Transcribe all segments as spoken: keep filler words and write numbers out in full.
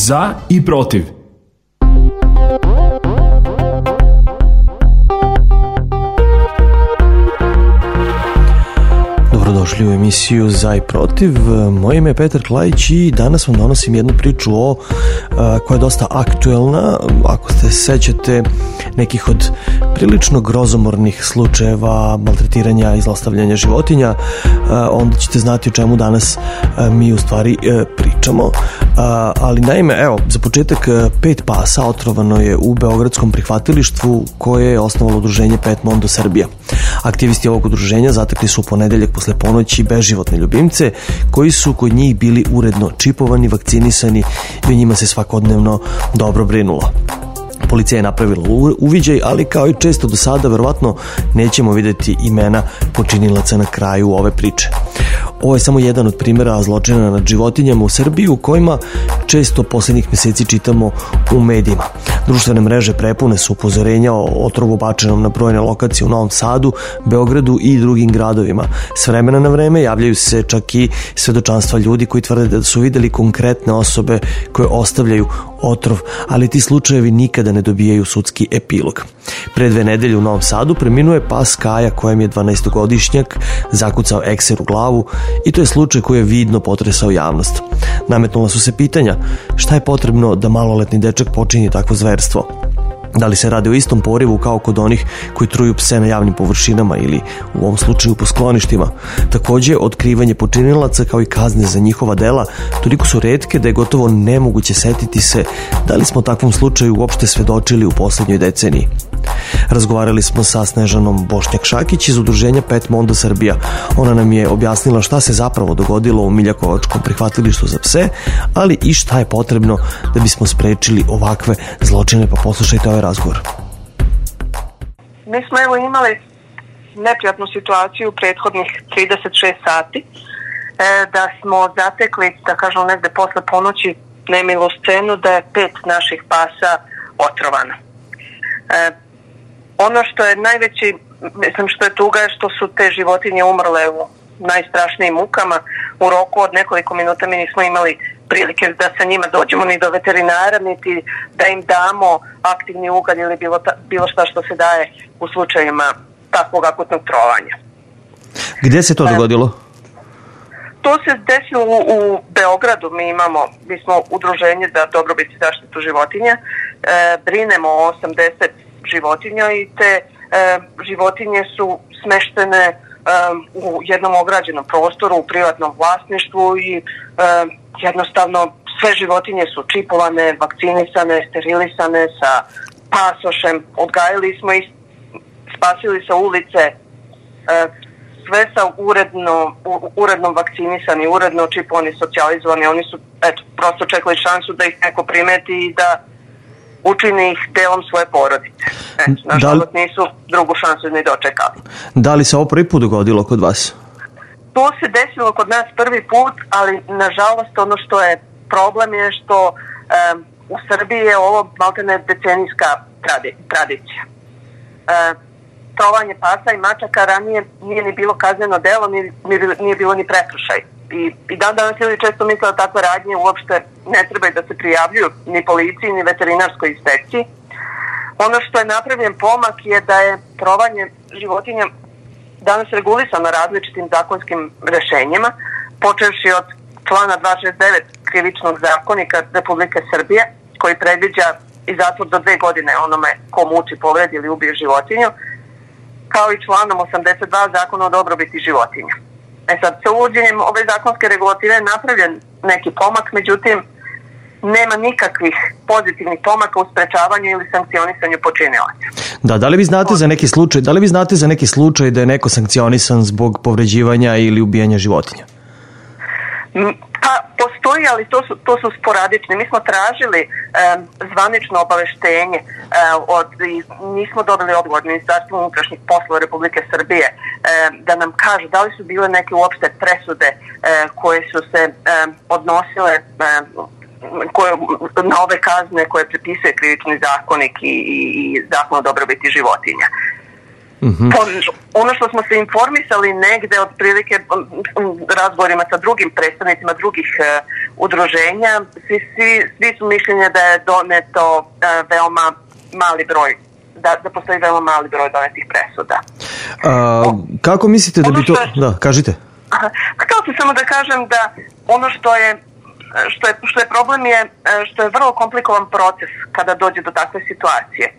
za i protiv. Dobrodošli u emisiju Za i protiv. Moje ime je Petar Klajić i danas vam donosim jednu priču o, a, koja je dosta aktuelna. Ako se sećate nekih od prilično grozomornih slučajeva maltretiranja i zlostavljanja životinja, a, onda ćete znati o čemu danas a, mi u stvari a, pričamo. A, ali naime, evo, za početak pet pasa otrovano je u beogradskom prihvatilištvu koje je osnovalo udruženje Pet Mondo Srbija. Aktivisti ovog udruženja zatekli su u ponedeljak posle ponoći beživotne ljubimce koji su kod njih bili uredno čipovani, vakcinisani i o njima se svakodnevno dobro brinulo. Policija je napravila uviđaj, ali kao i često do sada, verovatno nećemo vidjeti imena počinilaca na kraju ove priče. Ovo je samo jedan od primjera zločina nad životinjama u Srbiji u kojima često posljednjih mjeseci čitamo u medijima. Društvene mreže prepune su upozorenja o otrovu bačenom na brojne lokacije u Novom Sadu, Beogradu i drugim gradovima. S vremena na vreme javljaju se čak i svedočanstva ljudi koji tvrde da su vidjeli konkretne osobe koje ostavljaju otrov, ali ti slučajevi nikada ne dobijaju sudski epilog. Pre dve nedelje u Novom Sadu preminuo je pas Kaja kojem je dvanaestogodišnjak zakucao ekser u glavu i to je slučaj koji je vidno potresao javnost. Nametnula su se pitanja šta je potrebno da maloletni dečak počini takvo zverstvo. Da li se radi o istom porivu kao kod onih koji truju pse na javnim površinama ili u ovom slučaju po skloništima. Također, otkrivanje počinilaca kao i kazne za njihova dela toliko su retke da je gotovo nemoguće setiti se da li smo takvom slučaju uopšte svedočili u posljednjoj deceniji. Razgovarali smo sa Snežanom Bošnjak-Šakić iz udruženja Pet Mondo Srbija. Ona nam je objasnila šta se zapravo dogodilo u Miljakovačkom prihvatilištu za pse, ali i šta je potrebno da bismo sprečili ovakve zločine, pa poslušajte ovaj razgovor. Mi smo evo imali neprijatnu situaciju prethodnih trideset šest sati, e, da smo zatekli, da kažemo negde posle ponoći, nemilu scenu da je pet naših pasa otrovano. E, ono što je najveći, mislim što je tuga, je što su te životinje umrle u najstrašnijim mukama. U roku od nekoliko minuta mi nismo imali prilike da sa njima dođemo ni do veterinara, niti da im damo aktivni ugalj ili bilo, ta, bilo šta što se daje u slučajima takvog akutnog trovanja. Gdje se to dogodilo? To se desilo u, u Beogradu. Mi imamo, mi smo udruženje za dobrobit i zaštitu životinja, e, brinemo o osamdeset životinja i te e, životinje su smeštene e, u jednom ograđenom prostoru, u privatnom vlasništvu i e, jednostavno sve životinje su čipovane, vakcinisane, sterilisane sa pasošem, odgajali smo ih, spasili sa ulice, e, sve sa uredno, u, uredno vakcinisani, uredno čipovani, socijalizovani. Oni su eto, prosto čekali šansu da ih neko primeti i da učini ih delom svoje porodice. E, nažalost li, nisu drugu šansu ni dočekali. Da li se ovo prvi put dogodilo kod vas? To se desilo kod nas prvi put, ali nažalost ono što je problem je što um, u Srbiji je ovo maltene decenijska tradi, tradicija. Uh, trovanje pasa i mačaka ranije nije ni bilo kazneno delo, ni, nije bilo ni prekršaj. I, i dan danas ljudi često misle da takve radnje uopšte ne trebaju da se prijavljuju ni policiji, ni veterinarskoj inspekciji. Ono što je napravljen pomak je da je trovanje životinja danas regulisano različitim zakonskim rešenjima, počevši od člana dvesta šezdeset devet krivičnog zakonika Republike Srbije, koji predviđa i zatvor do dve godine onome ko muči, povredi ili ubije životinju, kao i članom osamdeset dva Zakona o dobrobiti životinja. E sad, sa uvođenjem ove zakonske regulative je napravljen neki pomak, međutim, nema nikakvih pozitivnih pomaka u sprečavanju ili sankcionisanju počinilaca. Da, da li vi znate za neki slučaj, da li vi znate za neki slučaj da je neko sankcionisan zbog povređivanja ili ubijanja životinja? Pa postoji, ali to su, to su sporadični. Mi smo tražili e, zvanično obaveštenje e, od, i nismo dobili odgovor Ministarstva unutrašnjih poslova Republike Srbije e, da nam kažu da li su bile neke uopšte presude e, koje su se e, odnosile e, koje, na ove kazne koje prepisuje krivični zakonik i, i zakon o dobrobiti životinja. Mm-hmm. Ono što smo se informisali negde otprilike razgovorima sa drugim predstavnicima drugih uh, udruženja, svi, svi, svi su mišljenja da je doneto uh, veoma mali broj, da, da postoji veoma mali broj donetih presuda. A, kako mislite da bi to... Je, da, kažite. Htio sam samo da kažem da ono što je Što je, što je problem je što je vrlo komplikovan proces kada dođe do takve situacije. E,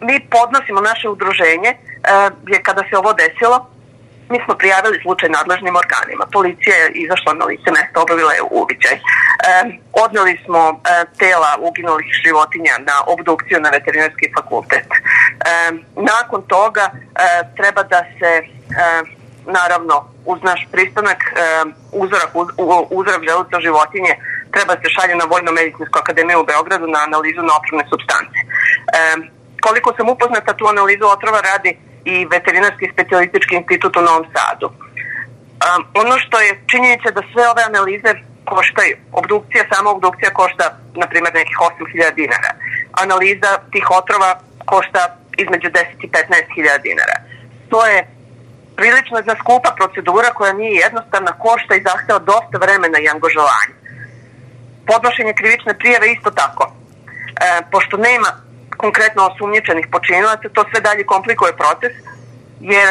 mi podnosimo naše udruženje, e, je kada se ovo desilo, mi smo prijavili slučaj nadležnim organima. Policija je izašla na lice mesta, obavila je uviđaj. E, odneli smo e, tela uginulih životinja na obdukciju na veterinarski fakultet. E, nakon toga e, treba da se... E, naravno, uz naš pristanak, uzorak, uzorak želuca životinje treba se šalje na Vojno-medicinsku akademiju u Beogradu na analizu na otrovne supstance. E, koliko sam upoznata, tu analizu otrova radi i Veterinarski specijalistički institut u Novom Sadu. E, ono što je činjenica da sve ove analize koštaju. Obdukcija, sama obdukcija košta, na primjer, nekih osam hiljada dinara. Analiza tih otrova košta između deset i petnaest hiljada dinara. To je prilično jedna skupa procedura koja nije jednostavna, košta i zahteva dosta vremena i angažovanja. Podnošenje krivične prijave isto tako. E, pošto nema konkretno osumnjičenih počinilaca, to sve dalje komplikuje proces, jer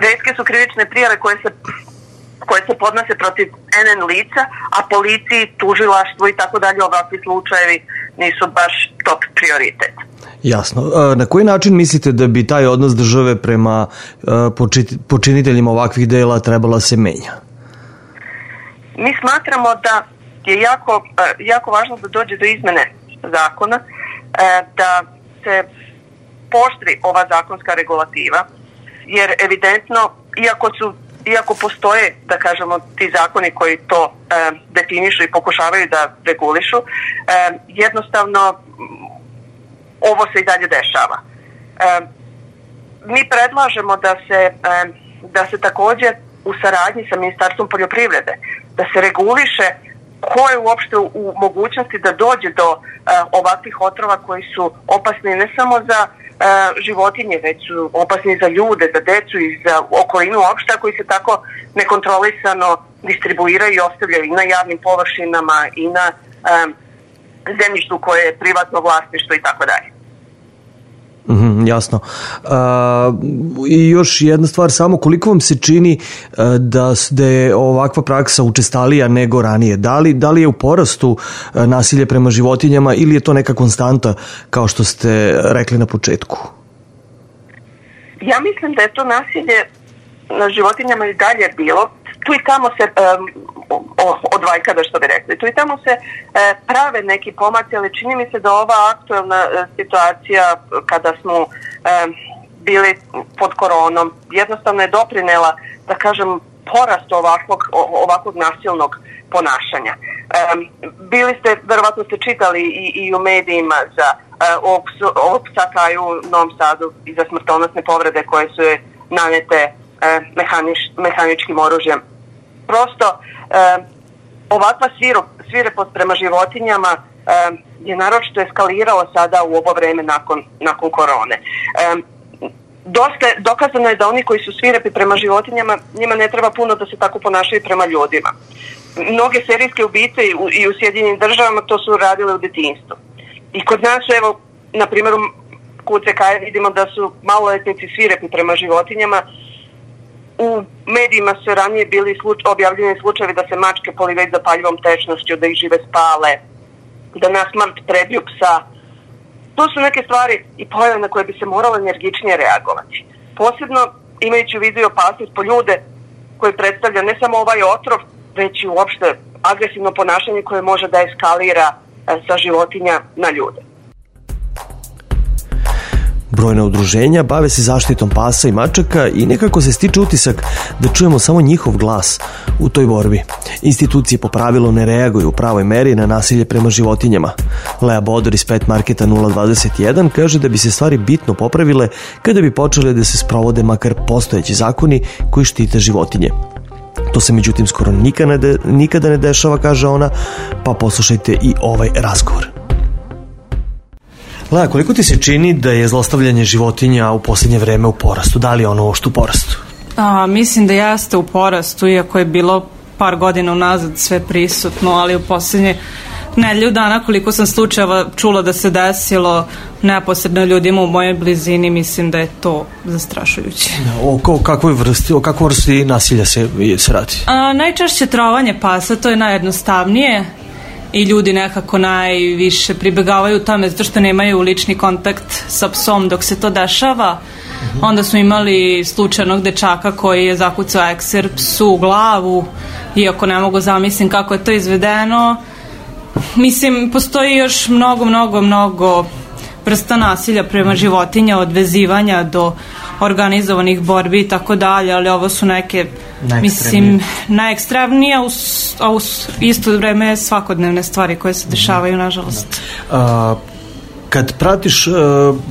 retke su krivične prijave koje se, koje se podnose protiv en en lica, a policiji, tužilaštvu i tako dalje ovakvi slučajevi nisu baš top prioritet. Jasno. Na koji način mislite da bi taj odnos države prema počiniteljima ovakvih dela trebala se menja? Mi smatramo da je jako, jako važno da dođe do izmene zakona, da se pooštri ova zakonska regulativa, jer evidentno, iako su iako postoje, da kažemo, ti zakoni koji to e, definišu i pokušavaju da regulišu, e, jednostavno ovo se i dalje dešava. E, mi predlažemo da se, e, da se također u saradnji sa Ministarstvom poljoprivrede, da se reguliše ko je uopšte u mogućnosti da dođe do e, ovakvih otrova koji su opasni ne samo za e, životinje, već su opasni za ljude, za decu i za okolinu uopšte, koji se tako nekontrolisano distribuiraju i ostavljaju i na javnim površinama i na e, zemljištu koje je privatno vlasništvo i tako dalje. Mm, jasno. A, i još jedna stvar, samo koliko vam se čini da, da je ovakva praksa učestalija nego ranije? Da li, da li je u porastu nasilje prema životinjama ili je to neka konstanta kao što ste rekli na početku? Ja mislim da je to nasilje na životinjama i dalje bilo. Tu i tamo se um, od vajkada, što bi rekli, tu i tamo se e, prave neki pomaci, ali čini mi se da ova aktuelna e, situacija kada smo e, bili pod koronom jednostavno je doprinela, da kažem, porast ovakvog, ovakvog nasilnog ponašanja. E, bili ste, verovatno ste čitali i, i u medijima za e, ovog, ovog psa Kaju u Novom Sadu i za smrtonosne povrede koje su je nanete e, mehanič, mehaničkim oružjem. Prosto e, ovakva svirepost prema životinjama e, je naročito eskalirala sada u ovo vreme nakon, nakon korone. E, dosta, dokazano je da oni koji su svirepi prema životinjama, njima ne treba puno da se tako ponašaju prema ljudima. Mnoge serijske ubice i u, i u Sjedinjenim državama to su radile u detinjstvu. I kod nas, evo, na primjer, kod C K vidimo da su maloletnici svirepi prema životinjama. U medijima su ranije bili sluč, objavljeni slučajevi da se mačke polivaju zapaljivom tečnošću, da ih žive spale, da na smrt prebiju psa. To su neke stvari i pojave na koje bi se moralo energičnije reagovati. Posebno imajući u vidu i opasnost po ljude koji predstavlja ne samo ovaj otrov, već i uopšte agresivno ponašanje koje može da eskalira sa životinja na ljude. Brojna udruženja bave se zaštitom pasa i mačaka i nekako se stiče utisak da čujemo samo njihov glas u toj borbi. Institucije po pravilu ne reaguju u pravoj meri na nasilje prema životinjama. Lea Bodor iz Pet Marketa nula dvadeset jedan kaže da bi se stvari bitno popravile kada bi počele da se sprovode makar postojeći zakoni koji štite životinje. To se međutim skoro nikada ne, de, nikada ne dešava, kaže ona, pa poslušajte i ovaj razgovor. Laja, koliko ti se čini da je zlostavljanje životinja u posljednje vreme u porastu? Da li je ono uopšte u porastu? A, mislim da jeste u porastu, iako je bilo par godina unazad sve prisutno, ali u posljednje nedelju dana koliko sam slučajeva čula da se desilo neposredno ljudima u mojoj blizini, mislim da je to zastrašujuće. O, o kakvoj vrsti, o kakvoj vrsti nasilja se, se radi? A, najčešće trovanje pasa, to je najjednostavnije i ljudi nekako najviše pribegavaju tome zato što nemaju lični kontakt sa psom dok se to dešava. Uh-huh. Onda smo imali slučajnog dečaka koji je zakucao ekser psu u glavu, iako ne mogu zamislim kako je to izvedeno. Mislim, postoji još mnogo, mnogo, mnogo vrsta nasilja prema životinja, od vezivanja do organizovanih borbi i tako dalje, ali ovo su neke, mislim, najekstremnije, a u isto vreme svakodnevne stvari koje se dešavaju, nažalost. A, kad pratiš uh,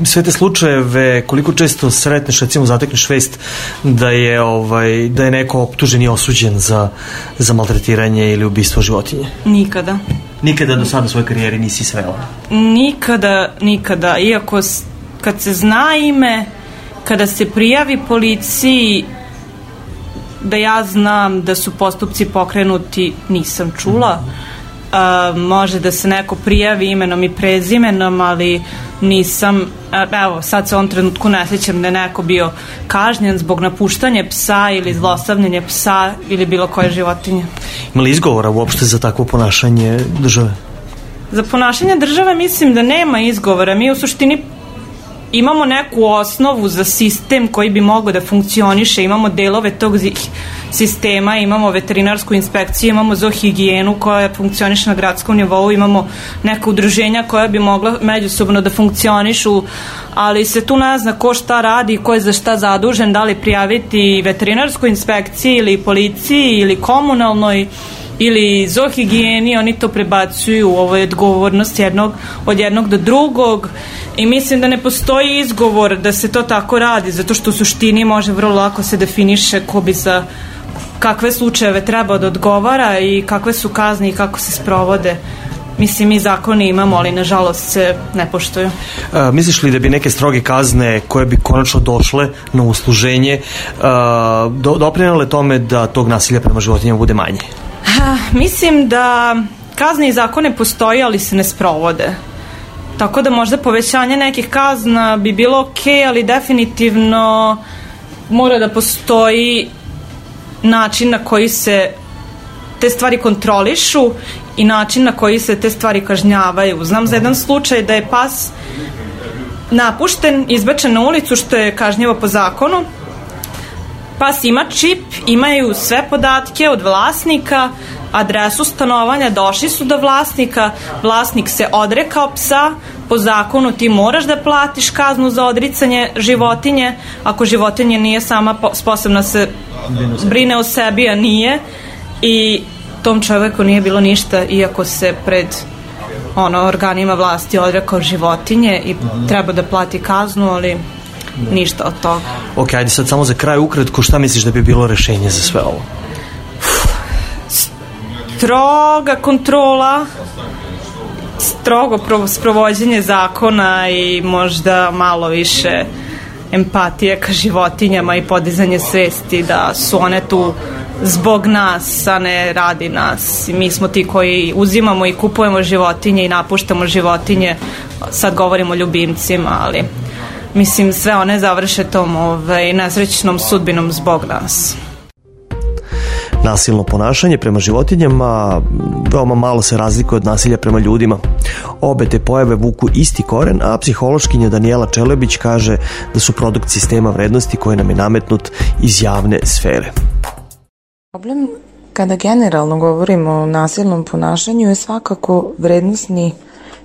sve te slučajeve, koliko često sretneš, recimo zatekneš vest da je, ovaj, da je neko optužen i osuđen za, za maltretiranje ili ubistvo životinje? Nikada. Nikada do sada u svojoj karijeri nisi srela? Nikada, nikada. Iako kad se zna ime, kada se prijavi policiji, da ja znam da su postupci pokrenuti, nisam čula. A, može da se neko prijavi imenom i prezimenom, ali nisam, evo, sad se u ovom trenutku ne sjećam da je neko bio kažnjen zbog napuštanja psa ili zlostavljanja psa ili bilo koje životinje. Ima li izgovora uopšte za takvo ponašanje države? Za ponašanje države mislim da nema izgovora. Mi u suštini imamo neku osnovu za sistem koji bi mogao da funkcioniše, imamo delove tog sistema, imamo veterinarsku inspekciju, imamo zoohigijenu koja funkcioniše na gradskom nivou, imamo neka udruženja koja bi mogla međusobno da funkcionišu, ali se tu ne zna ko šta radi, ko je za šta zadužen, da li prijaviti veterinarskoj inspekciji ili policiji ili komunalnoj ili zoohigijeni, oni to prebacuju u ovoj odgovornost jednog, od jednog do drugog i mislim da ne postoji izgovor da se to tako radi, zato što u suštini može vrlo lako se definiše ko bi za kakve slučajeve treba da odgovara i kakve su kazne i kako se sprovode. Mislim, mi zakoni imamo, ali nažalost se ne poštuju. A, misliš li da bi neke stroge kazne koje bi konačno došle na usluženje a, do, doprinele tome da tog nasilja prema životinjama bude manje? Ha, mislim da kazne i zakone postoje, ali se ne sprovode. Tako da možda povećanje nekih kazna bi bilo okej, ali definitivno mora da postoji način na koji se te stvari kontrolišu i način na koji se te stvari kažnjavaju. Znam za jedan slučaj da je pas napušten, izbačen na ulicu, što je kažnjivo po zakonu. Pas ima čip, imaju sve podatke od vlasnika, adresu stanovanja, došli su do vlasnika, vlasnik se odrekao psa, po zakonu ti moraš da platiš kaznu za odricanje životinje, ako životinje nije sama sposobna se brine o sebi, a nije, i tom čoveku nije bilo ništa, iako se pred ono, organima vlasti odrekao životinje i treba da plati kaznu, ali ništa od toga. Ok, ajde sad samo za kraj ukratko, šta misliš da bi bilo rešenje za sve ovo? Stroga kontrola, strogo sprovođenje zakona i možda malo više empatije ka životinjama i podizanje svesti da su one tu zbog nas, a ne radi nas. Mi smo ti koji uzimamo i kupujemo životinje i napuštamo životinje. Sad govorimo o ljubimcima, ali mislim sve one završe tom ovaj, nesrećnom sudbinom zbog nas. Nasilno ponašanje prema životinjama veoma malo se razlikuje od nasilja prema ljudima. Obe te pojave vuku isti koren, a psihološkinja Danijela Čelebić kaže da su produkt sistema vrednosti koji nam je nametnut iz javne sfere. Problem kada generalno govorimo o nasilnom ponašanju je svakako vrednosni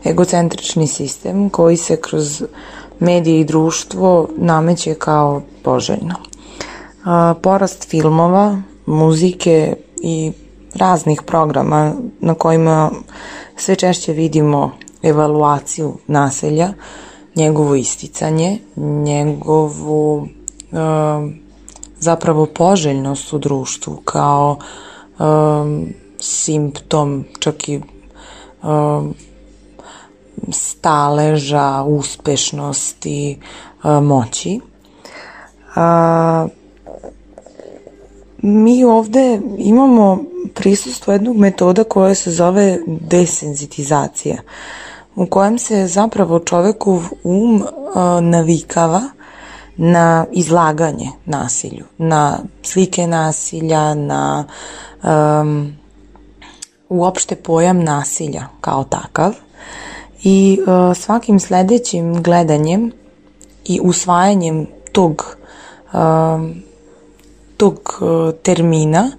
egocentrični sistem koji se kroz medije i društvo nameće kao poželjno. Porast filmova, muzike i raznih programa na kojima sve češće vidimo evaluaciju nasilja, njegovo isticanje, njegovu e, zapravo poželjnost u društvu kao e, simptom čak i e, staleža, uspešnosti, moći. A, mi ovde imamo prisustvo jednog metoda koja se zove desenzitizacija, u kojem se zapravo čovekov um a, navikava na izlaganje nasilju, na slike nasilja, na um, uopšte pojam nasilja kao takav i uh, svakim sledećim gledanjem i usvajanjem tog, uh, tog uh, termina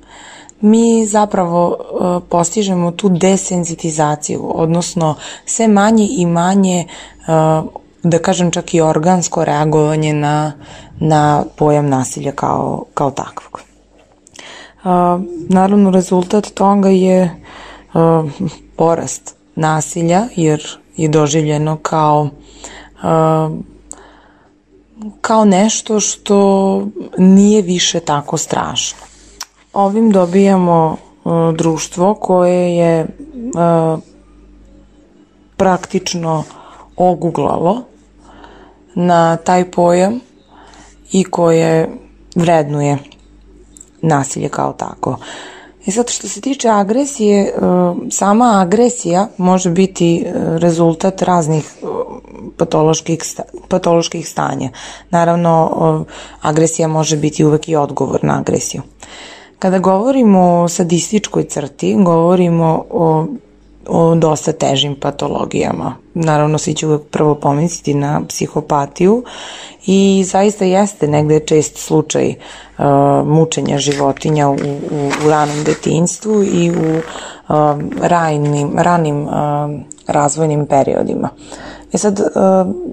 mi zapravo uh, postižemo tu desenzitizaciju, odnosno sve manje i manje uh, da kažem čak i organsko reagovanje na, na pojam nasilja kao, kao takvog. Uh, naravno, rezultat toga je uh, porast nasilja, jer je doživljeno kao, uh, kao nešto što nije više tako strašno. Ovim dobijamo uh, društvo koje je uh, praktično oguglalo na taj pojam i koje vrednuje nasilje kao tako. I sad što se tiče agresije, sama agresija može biti rezultat raznih patoloških, patoloških stanja. Naravno, agresija može biti uvek i odgovor na agresiju. Kada govorimo o sadističkoj crti, govorimo o o dosta težim patologijama. Naravno, svi će uvek prvo pomisliti na psihopatiju i zaista jeste negde čest slučaj uh, mučenja životinja u, u, u ranom detinjstvu i u uh, ranim, ranim uh, razvojnim periodima. E sad, uh,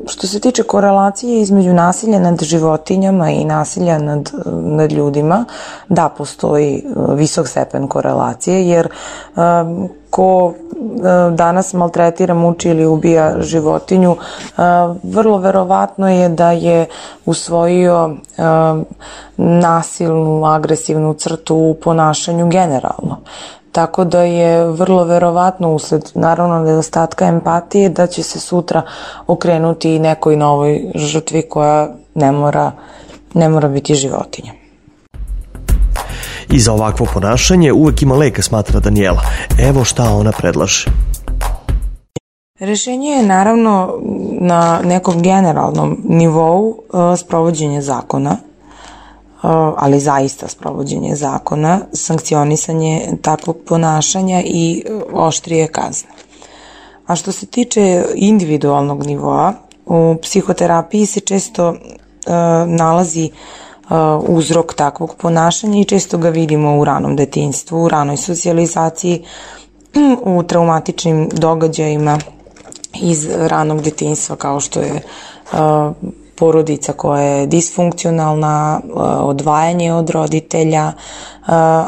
što se tiče korelacije između nasilja nad životinjama i nasilja nad, nad ljudima, da, postoji uh, visok stepen korelacije, jer uh, ko danas maltretira, muči ili ubija životinju, vrlo verovatno je da je usvojio nasilnu, agresivnu crtu u ponašanju generalno. Tako da je vrlo verovatno usled, naravno, nedostatka empatije da će se sutra okrenuti nekoj novoj žrtvi koja ne mora, ne mora biti životinja. I za ovakvo ponašanje uvek ima leka, smatra Danijela. Evo šta ona predlaže. Rešenje je naravno na nekom generalnom nivou uh, sprovođenje zakona, uh, ali zaista sprovođenje zakona, sankcionisanje takvog ponašanja i uh, oštrije kazne. A što se tiče individualnog nivoa, u psihoterapiji se često uh, nalazi uzrok takvog ponašanja i često ga vidimo u ranom detinjstvu, u ranoj socijalizaciji, u traumatičnim događajima iz ranog detinjstva, kao što je porodica koja je disfunkcionalna, odvajanje od roditelja,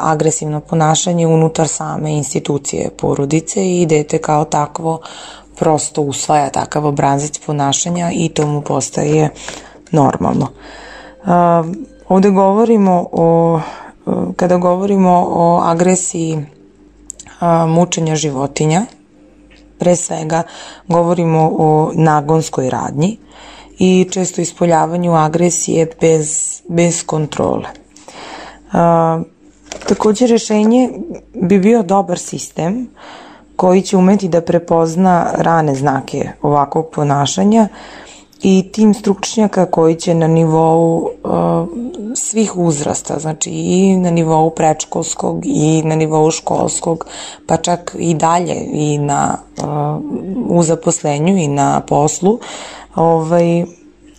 agresivno ponašanje unutar same institucije porodice i dete kao takvo prosto usvaja takav obrazac ponašanja i to mu postaje normalno. Uh, ovde govorimo o, kada govorimo o agresiji uh, mučenja životinja, pre svega govorimo o nagonskoj radnji i često ispoljavanju agresije bez, bez kontrole. Uh, takođe, rešenje bi bio dobar sistem koji će umeti da prepozna rane znake ovakvog ponašanja i tim stručnjaka koji će na nivou uh, svih uzrasta, znači i na nivou predškolskog i na nivou školskog, pa čak i dalje i na, uh, u zaposlenju i na poslu, ovaj,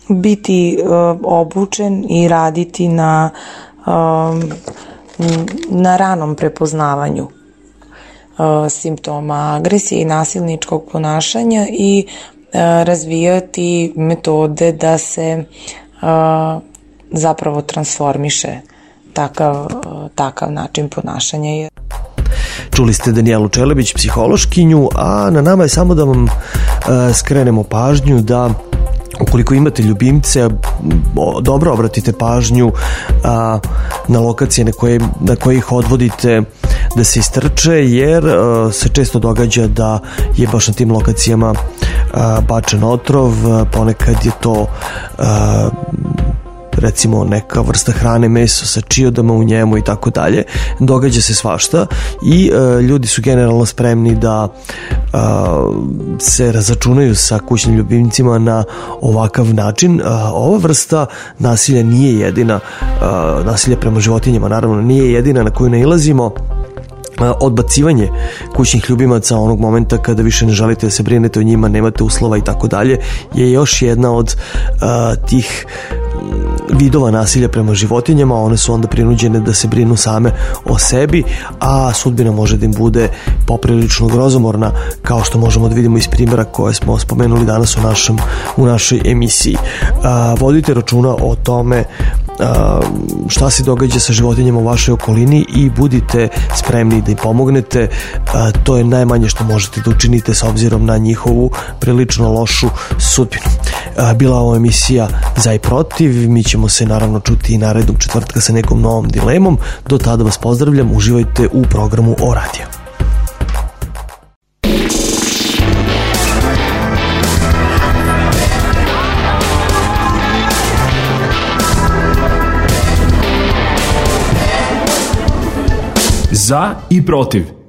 biti uh, obučen i raditi na, uh, na ranom prepoznavanju uh, simptoma agresije i nasilničkog ponašanja i razvijati metode da se uh, zapravo transformiše takav, uh, takav način ponašanja. Čuli ste Danijelu Čelebić, psihološkinju, a na nama je samo da vam uh, skrenemo pažnju da ukoliko imate ljubimce, dobro obratite pažnju a, na lokacije na koje, na koje ih odvodite da se istrče, jer a, se često događa da je baš na tim lokacijama a, bačen otrov, a, ponekad je to a, recimo neka vrsta hrane, meso sa čiodama u njemu i tako dalje. Događa se svašta i e, ljudi su generalno spremni da e, se razačunaju sa kućnim ljubimcima na ovakav način. E, ova vrsta nasilja nije jedina, e, nasilja prema životinjama naravno nije jedina na koju nailazimo. Odbacivanje kućnih ljubimaca onog momenta kada više ne želite da se brinete o njima, nemate uslova i tako dalje, je još jedna od uh, tih vidova nasilja prema životinjama. One su onda prinuđene da se brinu same o sebi, a sudbina može da im bude poprilično grozomorna, kao što možemo da vidimo iz primjera koje smo spomenuli danas u, našem, u našoj emisiji. Uh, vodite računa o tome šta se događa sa životinjama u vašoj okolini i budite spremni da im pomognete. To je najmanje što možete da učinite s obzirom na njihovu prilično lošu sudbinu. Bila ovo emisija Za i protiv, mi ćemo se naravno čuti i narednog četvrtka sa nekom novom dilemom. Do tada vas pozdravljam, uživajte u programu O Radio. Za i protiv.